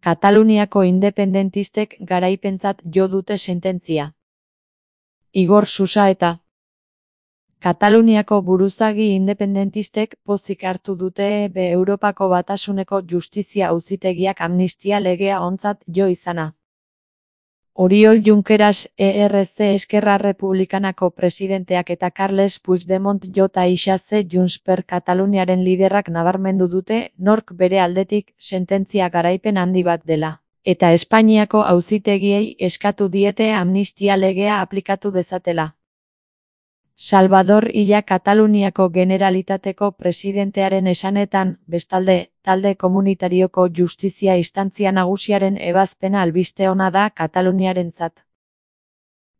Kataluniako independentistek garaipentzat jo dute sententzia. Igor Susaeta. Kataluniako buruzagi independentistek pozik hartu dute Europako Batasuneko Justizia Auzitegiak amnistia legea ontzat jo izana. Oriol Junqueras ERC Esquerra Republikanako presidenteak eta Carles Puigdemont jota isaze Junts per Kataluniaren liderrak nabarmendu dute nork bere aldetik sententzia garaipen handi bat dela, eta Espainiako auzitegiei eskatu diete amnistia legea aplikatu dezatela. Salvador Illa Kataluniako Generalitateko presidentearen esanetan, bestalde, talde komunitarioko justizia instantzia nagusiaren ebazpena albiste ona da Kataluniarentzat.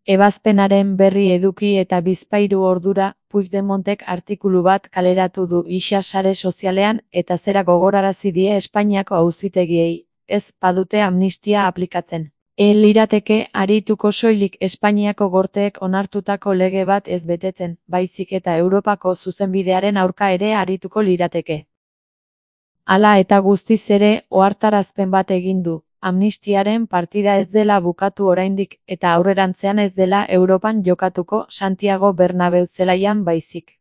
Ebazpenaren berri eduki eta 72 ordura, Puigdemontek artikulu bat kaleratu du isa sare sozialean eta zera gogorarazi die Espainiako auzitegiei, ez badute amnistia aplikatzen. Lirateke arituko soilik Espainiako gorteek onartutako lege bat ez betetzen, baizik eta Europako zuzenbidearen aurka ere arituko lirateke. Hala eta guztiz ere, ohartarazpen bat egin du, amnistiaren partida ez dela bukatu oraindik eta aurrerantzean ez dela Europan jokatuko Santiago Bernabeu zelaian baizik.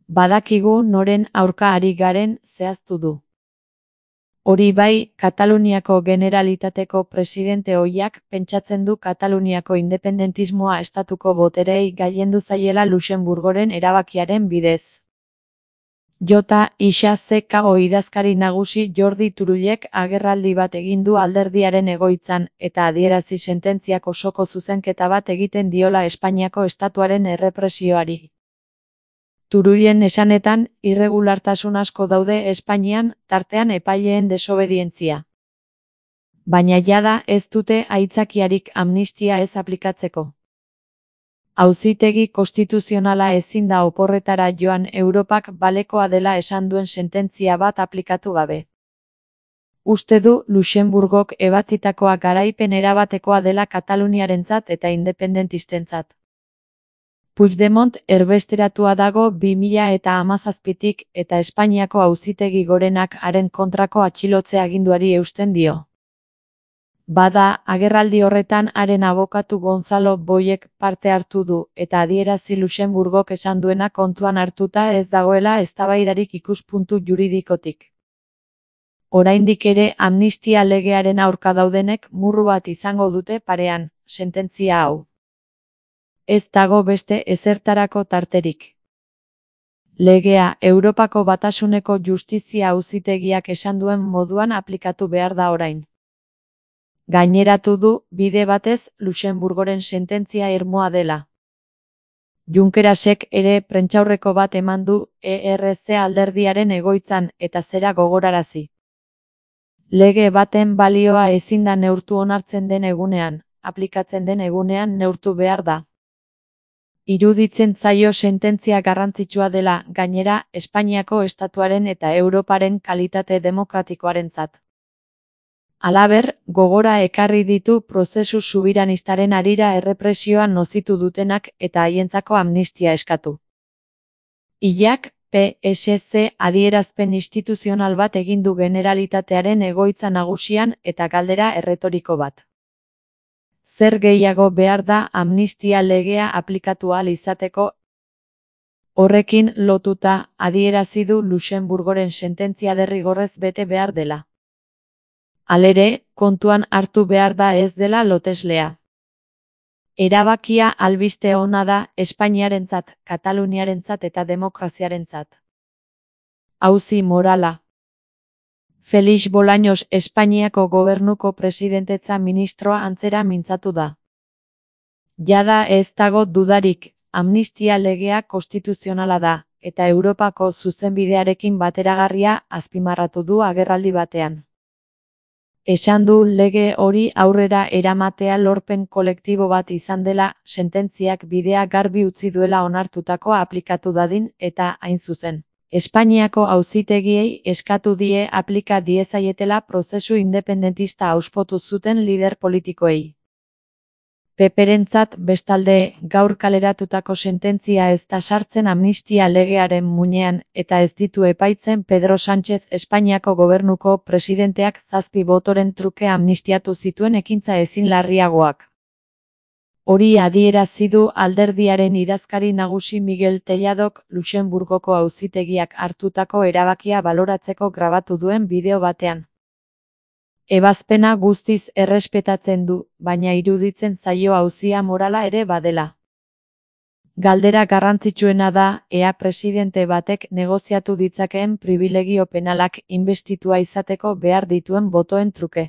Badakigu noren aurka ari garen zehaztu du. Hori bai, Kataluniako Generalitateko presidente ohiak pentsatzen du Kataluniako independentismoa estatuko boterei gailendu zaiela Luxenburgoren erabakiaren bidez. Jota ISAZKO idazkari nagusi Jordi Turullek agerraldi bat egin du alderdiaren egoitzan eta adierazi sententziak osoko zuzenketa bat egiten diola Espainiako estatuaren errepresioari. Turullen esanetan, irregulartasun asko daude Espainian, tartean epaileen desobedientzia. Baina jada ez dute aitzakiarik amnistia ez aplikatzeko. Auzitegi konstituzionala ezin da oporretara joan Europak balekoa dela esan duen sententzia bat aplikatu gabe. Uste du Luxenburgok ebatzitakoa garaipen erabatekoa dela Kataluniarentzat eta independentistentzat. Puigdemont erbesteratua dago 2017tik eta Espainiako auzitegi gorenak haren kontrako atxilotze aginduari eusten dio. Bada, agerraldi horretan haren abokatu Gonzalo Boyek parte hartu du eta adierazi Luxenburgok esan duena kontuan hartuta ez dagoela eztabaidarik ikuspuntu juridikotik. Oraindik ere amnistia legearen aurka daudenek murru bat izango dute parean, sententzia hau. Ez dago beste ezertarako tarterik. Legea Europako Batasuneko Justizia Auzitegiak esan duen moduan aplikatu behar da orain. Gaineratu du, bide batez, Luxenburgoren sententzia irmoa dela. Junquerasek ere prentsaurreko bat eman du ERC alderdiaren egoitzan eta zera gogorarazi. Lege baten balioa ezin da neurtu onartzen den egunean, aplikatzen den egunean neurtu behar da. Iruditzen zaio sententzia garrantzitsua dela, gainera, Espainiako estatuaren eta Europaren kalitate demokratikoarentzat. Halaber, gogora ekarri ditu prozesu subiranistaren harira errepresioa nozitu dutenak eta haientzako amnistia eskatu. Illak, PSC adierazpen instituzional bat egin du Generalitatearen egoitza nagusian eta galdera erretoriko bat. Zer gehiago behar da amnistia legea aplikatu ahal izateko? Horrekin lotuta adierazi du Luxenburgoren sententzia derrigorrez bete behar dela. Halere, kontuan hartu behar da ez dela loteslea. Erabakia albiste ona da Espainiarentzat, Kataluniarentzat eta demokraziarentzat. Auzi morala. Felix Bolaños Espainiako gobernuko presidentetza ministroa antzera mintzatu da. Jada ez dago dudarik, amnistia legea konstituzionala da, eta Europako zuzenbidearekin bateragarria azpimarratu du agerraldi batean. Esan du lege hori aurrera eramatea lorpen kolektibo bat izan dela, sententziak bidea garbi utzi duela onartutakoa aplikatu dadin eta hain zuzen. Espainiako auzitegiei eskatu die aplika diezaietela prozesu independentista auspotu zuten lider politikoei. Peperentzat, bestalde, gaur kaleratutako sententzia ez da sartzen amnistia legearen muinean, eta ez ditu epaitzen Pedro Sánchez Espainiako gobernuko presidenteak 7 botoren truke amnistiatu zituen ekintza ezin larriagoak. Hori adierazi du alderdiaren idazkari nagusi Miguel Telladok Luxenburgoko auzitegiak hartutako erabakia baloratzeko grabatu duen bideo batean. Ebazpena guztiz errespetatzen du, baina iruditzen zaio auzia morala ere badela. Galdera garrantzitsuena da, ea presidente batek negoziatu ditzakeen pribilegio penalak inbestitua izateko behar dituen botoen truke.